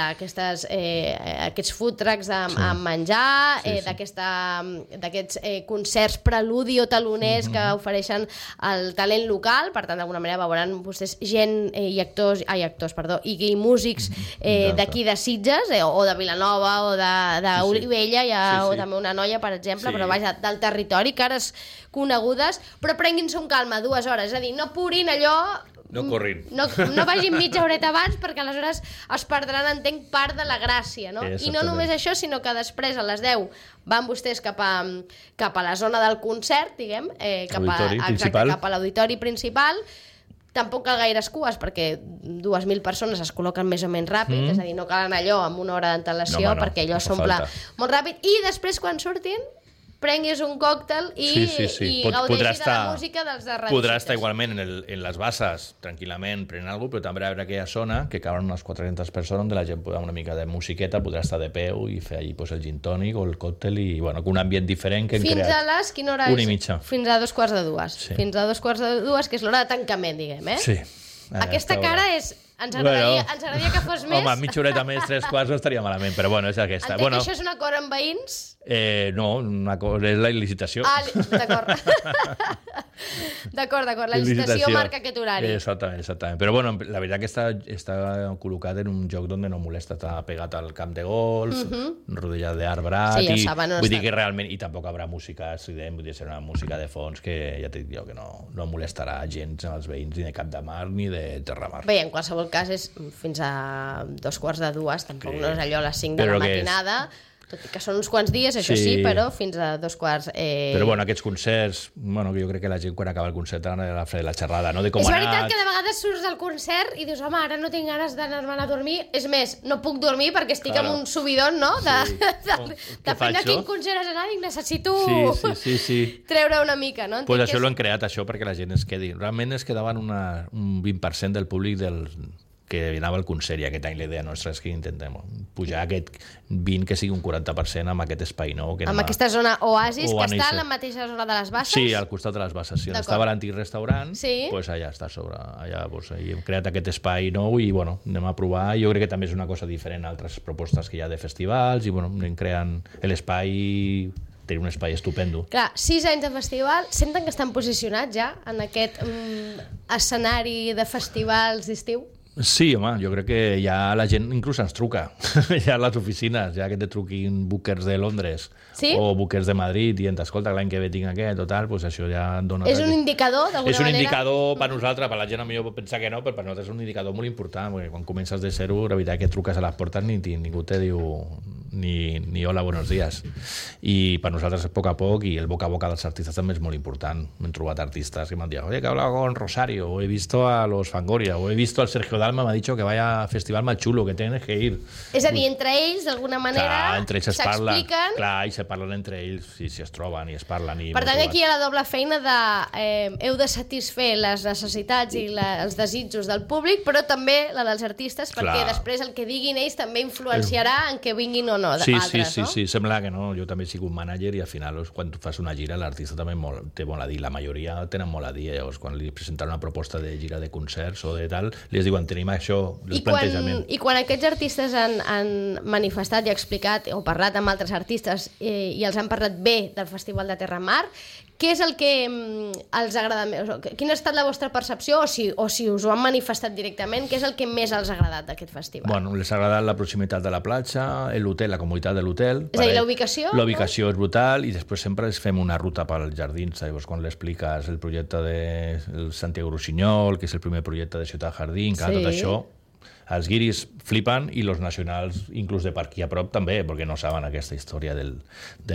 aquests food trucks amb menjar, d'aquests concerts preludi o taloners que ofereixen el talent local, per tant, d'alguna manera veuran vostès gent i i músics d'aquí de Sitges, o de Vilanova, o d'Olivella, o també una noia, per exemple, però vaja, del territori, cares conegudes, però prenguin-se un calma 2 hores, és a dir, no purin allò... No corrin. No vagin mitja horeta abans, perquè aleshores es perdran, entenc, part de la gràcia, no? I no només això, sinó que després, a les 10, van vostès cap a la zona del concert, diguem, cap a l'auditori principal. Tampoc cal gaires cues, perquè 2.000 persones es col·loquen més o menys ràpid, és a dir, no cal anar allò amb 1 hora d'antelació, perquè allò s'omple molt ràpid. I després, quan surtin, prenguis un còctel i gaudeixis de la música dels de Radio Sitges. Podrà estar igualment en les basses, tranquil·lament, prenent alguna cosa, però també hi haurà aquella zona que caben unes 400 persones on la gent pot una mica de musiqueta, podrà estar de peu i fer allí el gin tònic o el còctel i un ambient diferent que hem creat. Fins a les... Quina hora és? 1:30. Fins a 2:45. Fins a 2:45, que és l'hora de tancament, diguem, eh? Sí. Aquesta cara és... Ens agradaria que fos més... Home, mitja horeta més, 3/4 no estaria malament, però és aquesta. Entenc que això és un acord amb veïns? No, és la licitació. D'acord. D'acord, la licitació marca aquest horari. Exactament. Però la veritat que està col·locat en un lloc on no molesta, està pegat al camp de golf, rodeat d'arbrat, vull dir que realment, i tampoc haurà música estrident, vull dir, serà una música de fons que ja t'he dit jo que no molestarà gens als veïns ni de Cap de Mar ni de Terramar. Bé, en qualsevol cas és fins a 2:45, tampoc no és allò a les 5 de la matinada, tot i que són uns quants dies, això sí, però fins a 2:15. Però aquests concerts, jo crec que la gent quan acaba el concert ha de fer la xerrada, no? De com és veritat que de vegades surts del concert i dius, home, ara no tinc ganes d'anar-me'n a dormir, és més, no puc dormir perquè estic amb un subidon, no? Depèn de quin concert has anat, necessito treure una mica, no? Doncs això l'hem creat, això, perquè la gent es quedi. Realment es quedaven un 20% del públic que anava al concert, i aquest any la idea nostra és que intentem pujar aquest 20, que sigui un 40% amb aquest espai nou. Amb aquesta zona Oasis, que està a la mateixa zona de les Basses? Sí, al costat de les Basses. Si on estava l'antic restaurant, allà està a sobre. Allà hem creat aquest espai nou i anem a provar. Jo crec que també és una cosa diferent a altres propostes que hi ha de festivals i anem creant l'espai... Tenir un espai estupendo. Clar, 6 anys de festival, senten que estan posicionats ja en aquest escenari de festivals d'estiu? Sí, home, jo crec que ja la gent inclús ens truca, ja a les oficines, ja que te truquin bookers de Londres o bookers de Madrid dient, escolta, l'any que ve tinc aquest o tal, doncs això ja dona... És un indicador, d'alguna manera? És un indicador per nosaltres, per la gent millor pot pensar que no, però per nosaltres és un indicador molt important, perquè quan comences de zero, la veritat que truques a les portes ningú te diu ni hola, buenos días. I per nosaltres és a poc i el boca a boca dels artistes també és molt important. M'he trobat artistes que m'han dit, oye, que he hablado con Rosario, o he visto a los Fangoria, o he visto al Sergio Dalma, m'ha dicho que vaya a festival más chulo, que tienes que ir. És a dir, entre ells, d'alguna manera, s'expliquen. Clar, i se parlen entre ells, si es troben i es parlen. Per tant, aquí hi ha la doble feina de heu de satisfer les necessitats i els desitjos del públic, però també la dels artistes, perquè després el que diguin ells també influenciarà en que vinguin o no d'altres, no? Sí, sembla que no. Jo també soc un mànager i al final, quan tu fas una gira, l'artista també té molt a dir. La majoria tenen molt a dir. Llavors, quan li presenten una proposta de gira de concerts o de tal, li diuen, tenim això, el plantejament. I quan aquests artistes han manifestat i explicat o parlat amb altres artistes i els han parlat bé del Festival de Terra Mar, què és el que els agrada més? Quina ha estat la vostra percepció? O si us ho han manifestat directament, què és el que més els ha agradat d'aquest festival? Bueno, les ha agradat la proximitat de la platja, l'hotel, la comoditat de l'hotel. És a dir, la ubicació? La ubicació és brutal i després sempre fem una ruta pels jardins. Llavors, quan l'expliques el projecte de Santiago Rusiñol, que és el primer projecte de Ciutat Jardín, tot això, els guiris flipen i els nacionals, inclús de per aquí a prop també, perquè no saben aquesta història del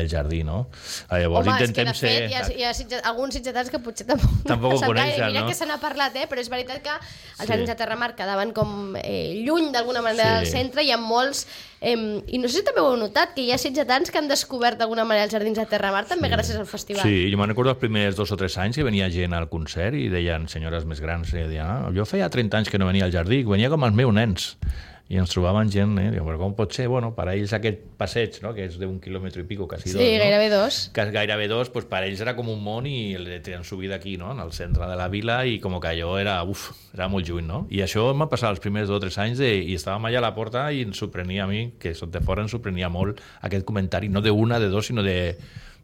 jardí, no? Llavors, home, és que de fet hi ha alguns sitgetans que potser tampoc ho coneixen, mira que se n'ha parlat, però és veritat que els jardins de Terra Mar quedaven com lluny d'alguna manera del centre, hi ha molts i no sé si també ho heu notat, que hi ha sitgetans que han descobert d'alguna manera els jardins de Terra Mar també gràcies al festival. Sí, jo me'n recordo els primers 2 o 3 anys que venia gent al concert i deien, senyores més grans, jo feia 30 anys que no venia al jardí, venia com els meus nens. I ens trobaven gent, diu, però com pot ser? Bueno, per a ells aquest passeig, no?, que és d'1 quilòmetre i pico, quasi 2, gairebé 2. Gairebé 2, pues per a ells era com un món i el tenen subida aquí, no?, en el centre de la vila i com que allò era molt lluny, no? I això m'ha passat els primers 2 o 3 anys i estàvem allà a la porta i ens sorprenia a mi, que soc de fora, ens sorprenia molt aquest comentari, no d'una, de 2, sinó de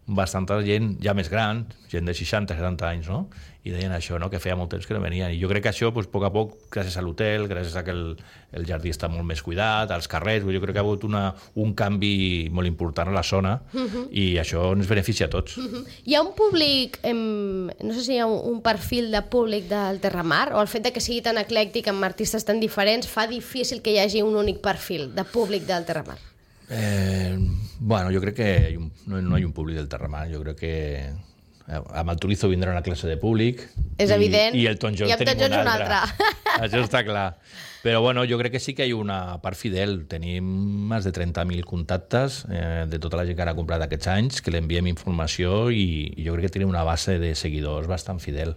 bastanta gent ja més gran, gent de 60, 70 anys, no? I deien això, no?, que feia molt temps que no venien. I jo crec que això, a poc a poc, gràcies a l'hotel, gràcies a que el jardí està molt més cuidat, als carrers, jo crec que ha hagut un canvi molt important a la zona i això ens beneficia a tots. Hi ha un públic, no sé si hi ha un perfil de públic del Terra Mar, o el fet de que sigui tan eclèctic amb artistes tan diferents fa difícil que hi hagi un únic perfil de públic del Terra Mar? Bueno, jo crec que no hi ha un públic del Terra Mar, jo crec que amb el Turizo vindrà una classe de públic. És evident. I el Tom Jones tenim un altre. Això està clar. Però bueno, jo crec que sí que hi ha una part fidel. Tenim més de 30.000 contactes de tota la gent que ha comprat aquests anys, que l'enviem informació i jo crec que tenim una base de seguidors bastant fidel,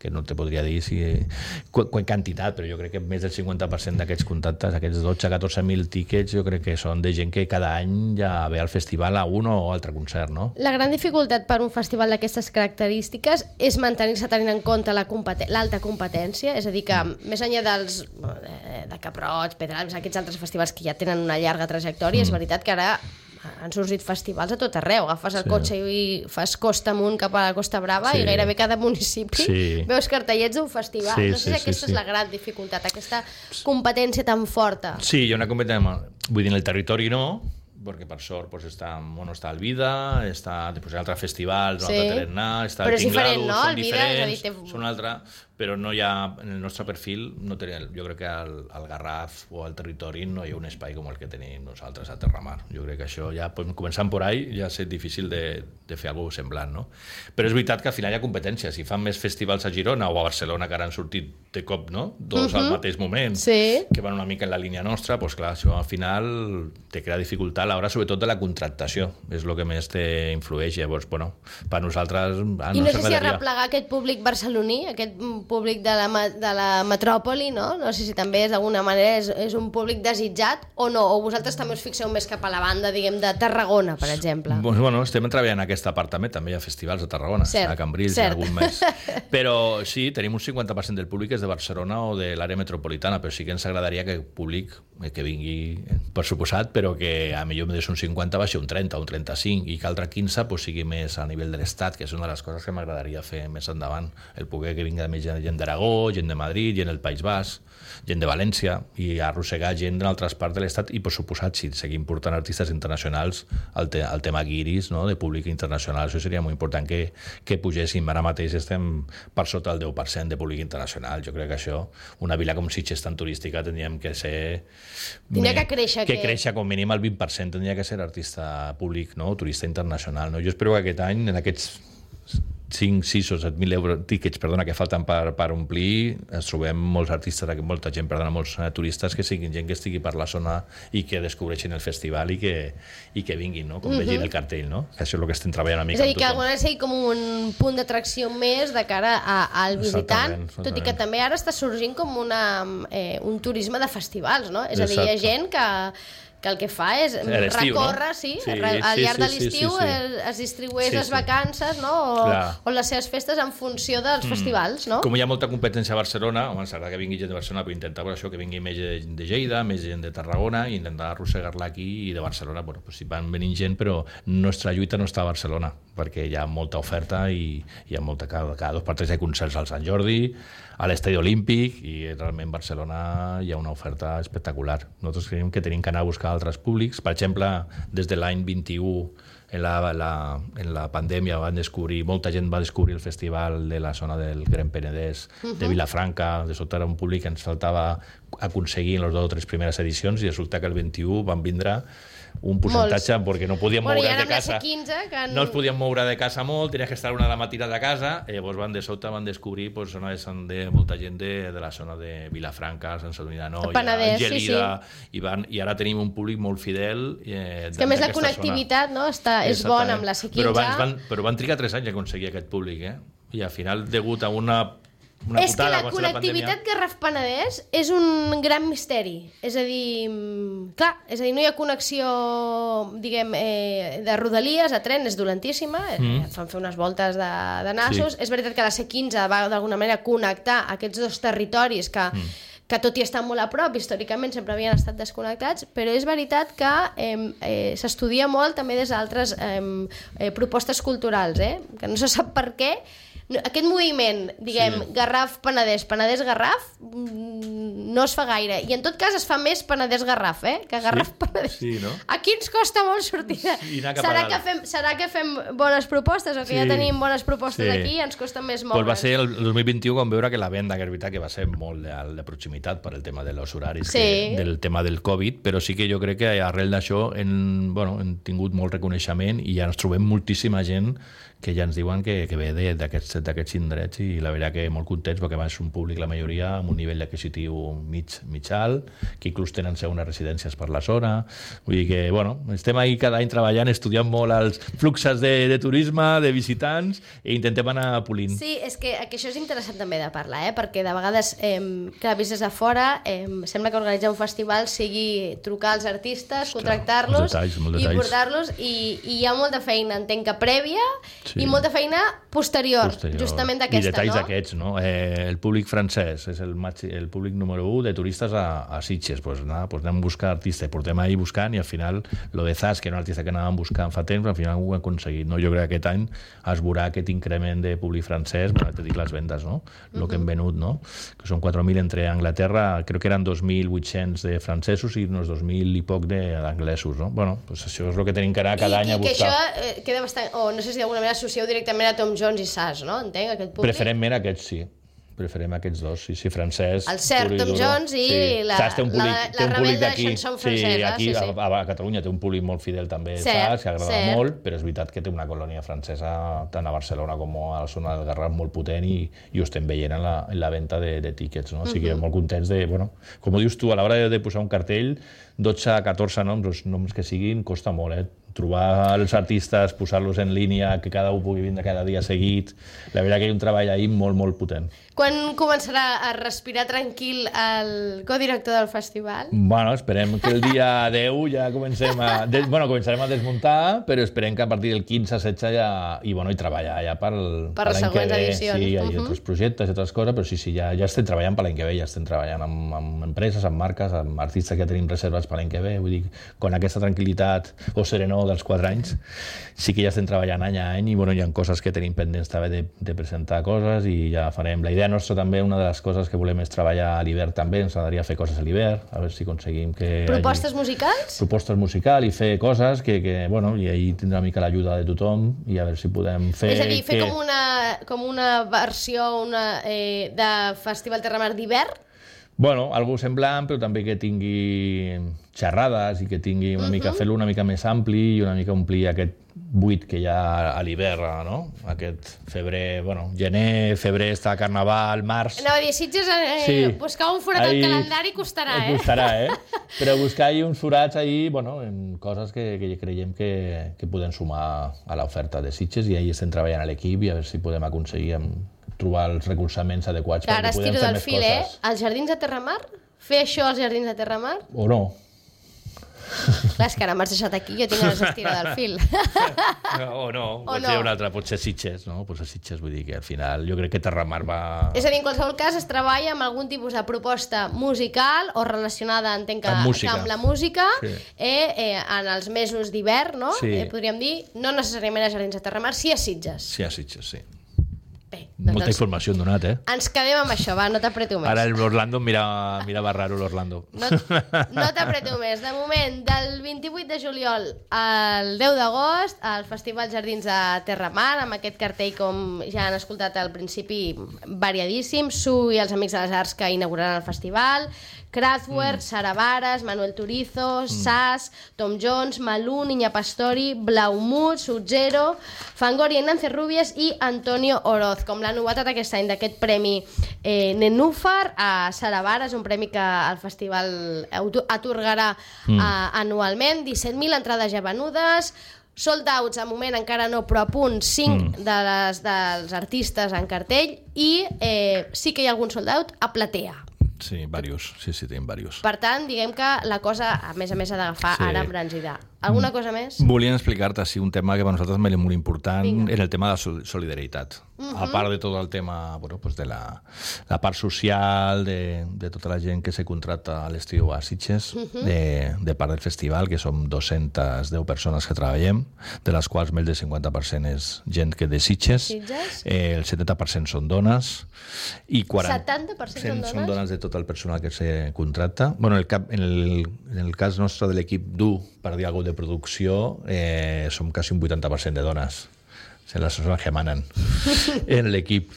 que no te podria dir quantitat, però jo crec que més del 50% d'aquests contactes, aquests 12-14.000 tíquets, jo crec que són de gent que cada any ja ve al festival a un o altre concert, no? La gran dificultat per un festival d'aquestes característiques és mantenir-se tenint en compte l'alta competència, és a dir, que més enllà de Cap Roig, Pedralbes, aquests altres festivals que ja tenen una llarga trajectòria, és veritat que ara han sorgit festivals a tot arreu. Agafes el cotxe i fas costa amunt cap a la Costa Brava i gairebé cada municipi veus cartellets d'un festival. No sé si aquesta és la gran dificultat, aquesta competència tan forta. Sí, hi ha una competència, vull dir, en el territori no, perquè per sort està el Vida, està després altres festivals, l'altre Tarannà, està el Tinglado, són diferents, són altres, però no hi ha, en el nostre perfil, jo crec que al Garraf o al territori no hi ha un espai com el que tenim nosaltres a Terra Mar. Jo crec que això ja, començant por ahí, ja és difícil de fer alguna cosa semblant, no? Però és veritat que al final hi ha competència. Si fan més festivals a Girona o a Barcelona, que ara han sortit de cop, no?, dos al mateix moment, que van una mica en la línia nostra, doncs clar, això al final te crea dificultat a l'hora, sobretot de la contractació. És el que més t'influeix. Llavors, bueno, per nosaltres... I no sé si arreplegar aquest públic barceloní, aquest públic de la metròpoli, no? No sé si també d'alguna manera és un públic desitjat o no, o vosaltres també us fixeu més cap a la banda, diguem, de Tarragona, per exemple. Bueno, estem treballant en aquesta part també hi ha festivals a Tarragona, a Cambrils, algun més. Però sí, tenim un 50% del públic és de Barcelona o de l'àrea metropolitana, però sí que ens agradaria que el públic que vingui, per suposat, però que a millor més un 50 va ser un 30 o un 35 i que altre 15 sigui més a nivell de l'Estat, que és una de les coses que m'agradaria fer més endavant, el poder que vingui més gent gent d'Aragó, gent de Madrid, gent del País Basc, gent de València, i arrossegar gent d'altres parts de l'Estat, i per suposat, si seguim portant artistes internacionals, el tema guiris, no?, de públic internacional, això seria molt important que pugéssim. Ara mateix estem per sota del 10% de públic internacional. Jo crec que això, una vila com Sitges tan turística, tindríem que ser... Tindria que créixer. Que créixer com mínim al 20%, tindria que ser artista públic, no?, turista internacional, no? Jo espero que aquest any, en aquests 5, 6 o 7.000 tíquets, que falten per omplir, ens trobem molts artistes, molta gent, molts turistes, que siguin gent que estigui per la zona i que descobreixin el festival i que vinguin, no?, com vegin el cartell, no? Això és el que estem treballant una mica amb tothom. És a dir, que alguna sigui com un punt d'atracció més de cara al visitant, tot i que també ara està sorgint com un turisme de festivals, no? És a dir, hi ha gent que el que fa és recórrer, al llarg de l'estiu es distribueix les vacances, o les seves festes en funció dels festivals, no? Com hi ha molta competència a Barcelona, ens agrada que vingui gent de Barcelona, però intentar això, que vingui més gent de Lleida, més gent de Tarragona, i intentar arrossegar-la aquí, i de Barcelona, bueno, pues si van venint gent, però nostra lluita no està a Barcelona, perquè hi ha molta oferta i hi ha molta, cada 2 per 3 hi ha concerts al Sant Jordi, a l'Estadi Olímpic, i realment a Barcelona hi ha una oferta espectacular. Nosaltres creiem que tenim que anar a buscar altres públics. Per exemple, des de l'any 21, en la pandèmia, molta gent va descobrir el festival de la zona del Gran Penedès, de Vilafranca. De sobte era un públic que ens faltava aconseguir en les 2 o 3 primeres edicions, i resulta que el 21 van vindre un percentatge perquè no podíem moure de casa. No ens podíem moure de casa molt, tenies que estar una de la matinada de casa, i llavors de sobte van descobrir molta gent de la zona de Vilafranca, Sant Sadurní d'Anoia, Gelida, i ara tenim un públic molt fidel. És que a més la connectivitat és bona amb la C15. Però van trigar 3 anys a aconseguir aquest públic, i al final, degut a una és que la connectivitat Garraf-Penedès és un gran misteri. És a dir, no hi ha connexió, diguem, de rodalies, a tren, és dolentíssima, fan fer unes voltes de nassos. És veritat que la C15 va d'alguna manera connectar aquests 2 territoris que tot i estar molt a prop, històricament sempre havien estat desconnectats, però és veritat que s'estudia molt també des d'altres propostes culturals, que no se sap per què. Aquest moviment, diguem, Garraf-Penedès, Penedès-Garraf, no es fa gaire. I en tot cas es fa més Penedès-Garraf, que Garraf-Penedès. Aquí ens costa molt sortir. Serà que fem bones propostes, o que ja tenim bones propostes aquí i ens costa més moure. Va ser el 2021 quan veure que la venda, que és veritat que va ser molt de proximitat per el tema dels horaris, del tema del Covid, però sí que jo crec que arrel d'això hem tingut molt reconeixement i ja ens trobem moltíssima gent que ja ens diuen que ve d'aquests indrets, i la veritat que molt contents, perquè és un públic, la majoria, amb un nivell adquisitiu mig alt, que inclús tenen segones residències per la zona. Vull dir que, estem ahí cada any treballant, estudiant molt els fluxos de turisme, de visitants, i intentem anar polint. Sí, és que això és interessant també de parlar, perquè de vegades, clar, vist des de fora, sembla que organitzar un festival sigui trucar als artistes, contractar-los i portar-los, i hi ha molta feina, entenc que prèvia, i molta feina posterior, justament d'aquesta, i detalls d'aquests, no? El públic francès és el públic número 1 de turistes a Sitges. Anem a buscar artistes, portem ahí buscant, i al final lo de Zas, que era un artista que anàvem buscant fa temps, al final ho hem aconseguit. Jo crec que aquest any es veurà aquest increment de públic francès, te dic les vendes, el que hem venut, que són 4.000 entre Anglaterra, crec que eren 2.800 de francesos i uns 2.000 i poc d'anglesos. Això és el que tenim que anar cada any a buscar. I que això queda bastant, o no sé si d'alguna manera associeu directament a Tom Jones i Sas, no? Entenc, aquest públic. Preferentment aquests, sí. Preferim aquests 2, sí, francès. El Cert, Tom Jones i la Rebel de la chanson francesa. Aquí a Catalunya té un públic molt fidel també, Sas, que agrada molt, però és veritat que té una colònia francesa tant a Barcelona com a la zona del Garraf molt potent, i ho estem veient en la venda de tíquets. O sigui, molt contents de... Com ho dius tu, a l'hora de posar un cartell, 12 a 14 noms, els noms que siguin, costa molt, trobar els artistes, posar-los en línia, que cada un pugui vindre cada dia seguit. La veritat que hi ha un treball ahí molt, molt potent. Quan començarà a respirar tranquil el codirector del festival? Esperem que el dia 10 ja comencem començarem a desmuntar, però esperem que a partir del 15-16 ja... I treballar ja per les següents edicions. Sí, hi ha altres projectes i altres coses, però sí, ja estem treballant per l'any que ve, ja estem treballant amb empreses, amb marques, amb artistes que ja tenim reserves per l'any que ve. Vull dir, con aquesta tranquil·litat o serenor dels 4 anys, sí que ja estem treballant any a any i bueno, hi ha coses que tenim pendents també de presentar coses i ja farem. La idea nostra també, una de les coses que volem és treballar a l'hivern també, ens agradaria fer coses a l'hivern, a veure si aconseguim que... Propostes musicals? Propostes musicals i fer coses que bueno, i ahí tindrà una mica l'ajuda de tothom i a veure si podem fer... És a dir, fer com una versió de Festival Terramar d'hivern? Bueno, algo semblant, però també que tingui xerrades i que tingui una mica, fer-lo una mica més ampli i una mica omplir aquest buit que hi ha a l'hivern, no? Aquest febrer, bueno, gener, febrer està carnaval, març... Anava a dir, Sitges, buscar un forat al calendari costarà, Costarà, Però buscar uns forats ahí, bueno, en coses que creiem que podem sumar a l'oferta de Sitges i ahí estem treballant a l'equip i a veure si podem aconseguir trobar els recolzaments adequats perquè podem fer més coses. Els Jardins de Terramar? Fer això als Jardins de Terramar? O no. Clar, és que ara m'has deixat aquí, jo tinc ganes d'estirar del fil. O no, potser un altre, potser Sitges, no? Potser Sitges, vull dir que al final jo crec que Terramar va... És a dir, en qualsevol cas es treballa amb algun tipus de proposta musical o relacionada, entenc que amb la música, en els mesos d'hivern, no? Podríem dir, no necessàriament a Jardins de Terramar, sí a Sitges. Sí a Sitges, sí. Bé, molta informació hem donat, Ens quedem amb això, va, no t'apreto més. Ara l'Orlando mirava raro l'Orlando. No t'apreto més. De moment, del 28 de juliol al 10 d'agost, al Festival Jardins de Terramar, amb aquest cartell, com ja han escoltat al principi, variadíssim. Su i els Amics de les Arts que inauguraran el festival, Kraftwerk, Sara Varas, Manuel Turizo, Sass, Tom Jones, Malú, Niña Pastori, Blaumut, Sub-Zero, Fangoria i Nancy Rubies i Antonio Oroz, com la novetat aquest any d'aquest premi Nenúfar a Sara Varas, un premi que el festival atorgarà anualment. 17.000 entrades ja venudes, sold outs, a moment encara no, però a punt 5 dels artistes en cartell i sí que hi ha algun sold out a platea. Sí, diversos. Sí, tenim diversos. Per tant, diguem que la cosa, a més, ha d'agafar ara embranzida. Alguna cosa més? Volíem explicar-te, un tema que per nosaltres és molt important, era el tema de la solidaritat. A part de tot el tema, bueno, pues de la part social, de tota la gent que se contracta a l'estiu a Sitges, de part del festival, que som 210 persones que treballem, de les quals més del 50% és gent que de Sitges, el 70% són dones, i 70% són dones de tot el personal que se contracta. Bueno, en el cas nostre de l'equip dur, per dir alguna cosa de producció, som quasi un 80% de dones. Són les persones que manen en l'equip.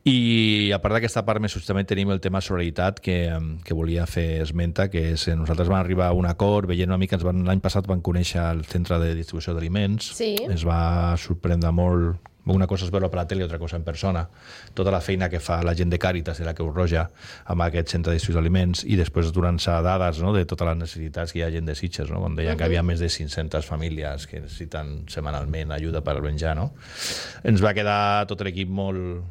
I a part d'aquesta part més també tenim el tema solidaritat que volia fer esmenta, que és nosaltres vam arribar a un acord, veient una mica, l'any passat vam conèixer el centre de distribució d'aliments, ens va sorprendre molt. Una cosa és veure per la tele i altra cosa en persona. Tota la feina que fa la gent de Càritas i la Creu Roja amb aquest centre de distribució d'aliments i després donant-se dades, no, de totes les necessitats que hi ha gent de Sitges, no? Quan deien que hi havia més de 500 famílies que necessiten setmanalment ajuda per menjar, no? Ens va quedar tot l'equip molt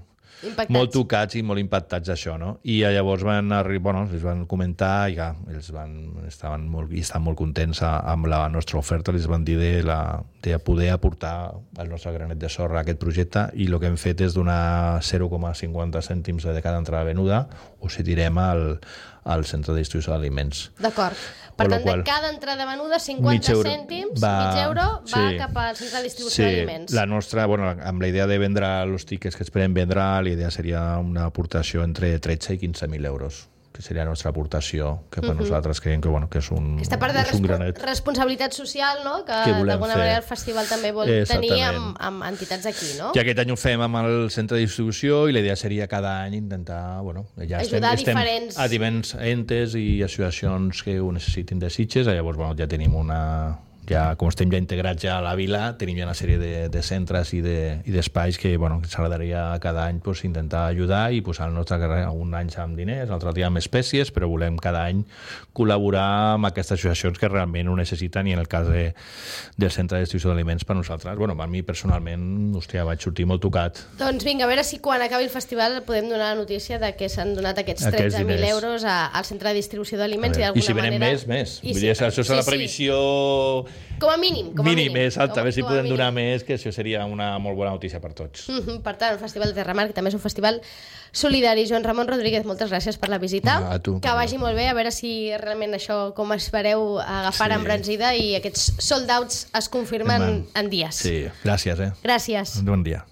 tocats i molt impactats d'això, no? I llavors els van comentar i estaven molt contents amb la nostra oferta, els van dir de poder aportar el nostre granet de sorra a aquest projecte i el que hem fet és donar 0,50 cèntims de cada entrada venuda o si tirem al centre de distribució d'aliments. D'acord. Per tant, de cada entrada venuda, 50 cèntims, mig euro, va cap al centre de distribució d'aliments. La nostra, amb la idea de vendre els tiquets que esperem vendre, la idea seria una aportació entre 13 i 15.000 euros, que seria la nostra aportació, que per nosaltres creiem que és un granet. Aquesta part de responsabilitat social, no?, que d'alguna manera el festival també vol tenir amb entitats aquí, no? I aquest any ho fem amb el centre de distribució i la idea seria cada any intentar ajudar diferents entes i associacions que ho necessitin de Sitges. Llavors ja tenim com estem ja integrats ja a la vila, tenim ja una sèrie de centres i d'espais que ens agradaria cada any intentar ajudar i posar el nostre carrer un any amb diners, l'altre dia amb espècies, però volem cada any col·laborar amb aquestes associacions que realment ho necessiten i en el cas del centre de distribució d'aliments per nosaltres, a mi personalment, vaig sortir molt tocat. Doncs vinga, a veure si quan acabi el festival podem donar la notícia de que s'han donat aquests 13.000 euros al centre de distribució d'aliments i d'alguna manera... I si venen més. Vull dir, això és la previsió Com a mínim. Mínim, exacte, a veure si podem donar més, que això seria una molt bona notícia per tots. Per tant, el Festival de Terramar, que també és un festival solidari. Joan Ramon Rodríguez, moltes gràcies per la visita. A tu. Que vagi molt bé, a veure si realment això, com espereu agafar embranzida i aquests sold outs es confirmen en dies. Sí, gràcies. Gràcies. Bon dia.